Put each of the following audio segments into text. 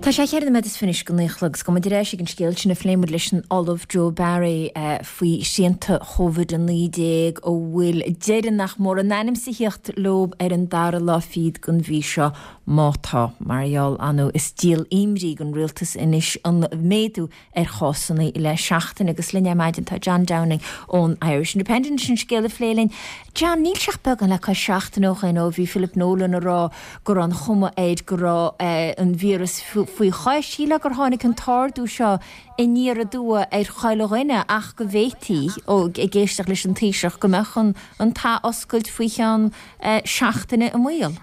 Tá sé cheithre nóiméad is fiche go 9 a chlog 's gabhfaidh muid ar ais ag an scéal sin a phléigh muid leis an Ollamh Joe Barry faoi shrianta Covid-19 a bhfuil deireadh nach mór in ainm 's a thíocht leo ar an dara lá fichead den mhí seo, má tá, mar gheall anú. Is díol imní don rialtas anois an méadú ar chásanna le seachtain agus linn ar maidin tá John Downing ón Irish Independent leis an scéal a phlé linn. John, níl sé ach beagán le cois seachtaine ó shin ó bhí Philip Nolan ag rá go raibh an chuma air go raibh an víreas faoi chois. Shílfeá gur tháinig an t-ardú seo aniar aduaidh ar chuile dhuine ach go bhféadfaí, ó ag éisteacht leis an Taoiseach, go mbeadh an t-athoscailt faoi cheann seachtaine i mbaol.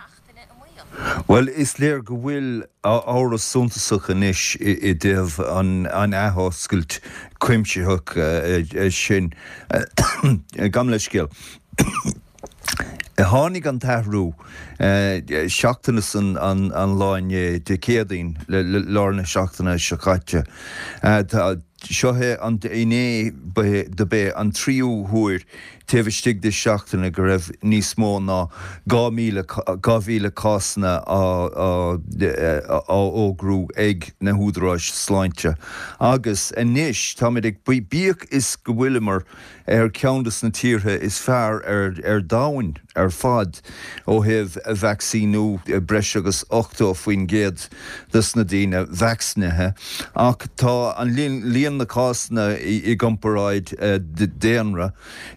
Bhuel, is léir go bhfuil amhras suntasach anois i dtaobh an athoscailt cuimsitheach sin. Gabh mo leithscéal. Tháinig an t-athrú seachtain is an lá inné, Dé Céadaoin, lár na seachtaine seo caite. Seo é an inné dob é an tríú huair taobh istigh de seachtaine go raibh níos mó ná 2,000 2,000 cásanna á fhógrú ag na húdaráis sláinte. Agus anois táimid ag, bíodh is go bhfuileamar ar cheann de na tíortha is fearr ar domhan ar fad ó thaobh vacsaíniú, breis agus 80% de na daoine vacsaínithe, ach tá an líon na cásanna i gcomparáid daonra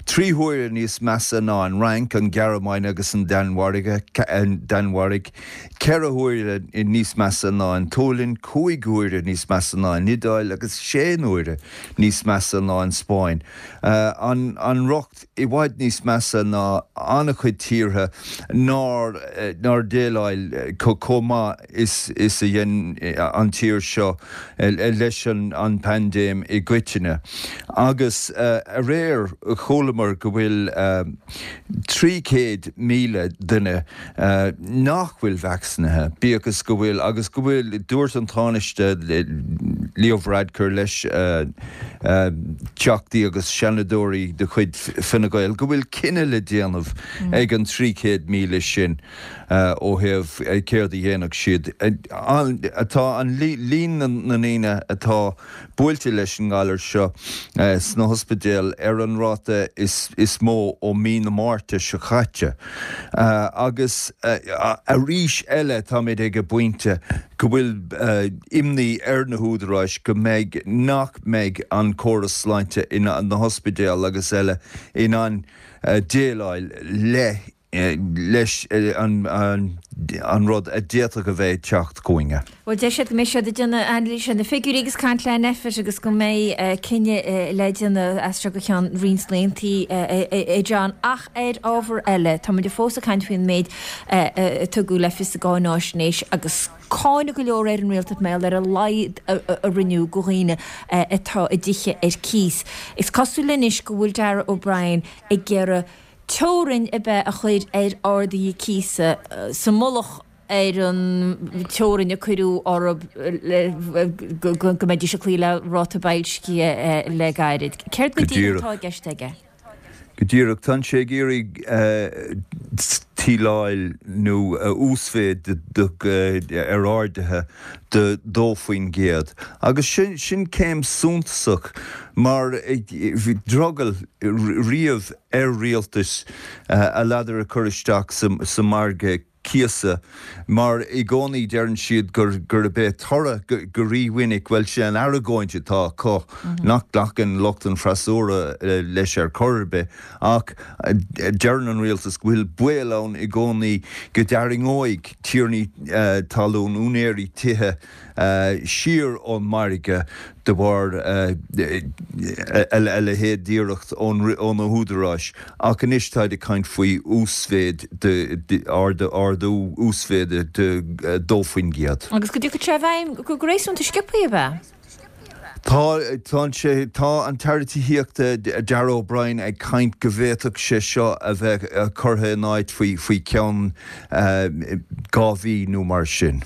3 huaire níos measa ná an Fhrainc, an Ghearmáin agus an Danmhairg, 4 huaire níos measa ná an tSualainn, 5 huaire níos measa ná an Iodáil agus 6 n-uaire níos measa ná an Spáinn. An riocht i bhfad níos measa ná an-chuid tíortha nár nár dhéileáil chomh maith is is a dhein an tír seo leis an bpaindéim i gcoitinne. Agus aréir chualamar go bhfuil 300,000 duine nach bhfuil vacsaínithe, bíodh is go bhfuil, agus go bhfuil, dúirt an Tánaiste Leo Varadkar leis Teachtaí agus Seanadóirí de chuid Fine Gael go bhfuil cinneadh le déanamh ag an 300,000 sin ó thaobh céard a dhéanfadh siad. Tá an líon na ndaoine atá buailte leis an ngalar seo sna hospidéil ar an ráta is mó ó mí na Márta seo caite agus arís eile táimid ag an bpointe go bhfuil imní ar na húdaráis go mbeidh, nach mbeidh an córas sláinte, na hospidéil agus eile in ann déileáil le leis an rud a d'fhéadfadh a bheith ag teacht chugainne. Bhuel, deir siad go mbeidh siad ag déanamh anailíse ar na figiúirí agus caint le NPHET agus go mbeidh cinneadh le déanamh as seo go ceann roinnt laethanta, a John. Ach ar ábhar eile, tá muid fós ag caint faoin méid a tugadh le fios sa gcáináisnéis agus cáineadh go leor ar an rialtas mar gheall ar a laghad a rinneadh do dhaoine atá i dtithe ar cíos. Is cosúil anois go bhfuil Darragh O'Brien ag iarraidh teorainn ab ea a chur ar arduithe cíosa sa mullach ar an teorainn a cuireadh orthu go mbeidís ag cloí le ráta boilscithe le gairid. Céard go díreach atá i gceist aige? Go díreach, tá sé ag iarraidh tuilleáil nó uasmhéid ar arduithe de 2%. Agus sin céim suntasach mar bhí drogall riamh ar rialtais a ladar a chur isteach sa margadh cíosa mar i gcónaí deireann siad gurb é toradh go rímhinic, bhuel sin an argóint atá acu, nach nglacann lucht an fhreasúra leis ar chor ar bith ach deireann an rialtas go bhfuil baol ann i gcónaí go dtarraingeoidh tiarnaí talún, úinéirí tithe, siar ón margadh de bharr a leithéid d'iarracht ó na húdaráis ach anois táid ag caint faoi uasmhéid de, ardú uasmhéide de 2%. Agus go dtiocfaidh sé i bhfeidhm go réasúnta sciobtha, ab ea? Tá, tá sé, tá an tAire Tithíochta Darragh O'Brien ag caint go bhféadfadh sé seo a bheith curtha in áit faoi, faoi cheann 2 mhí nó mar sin.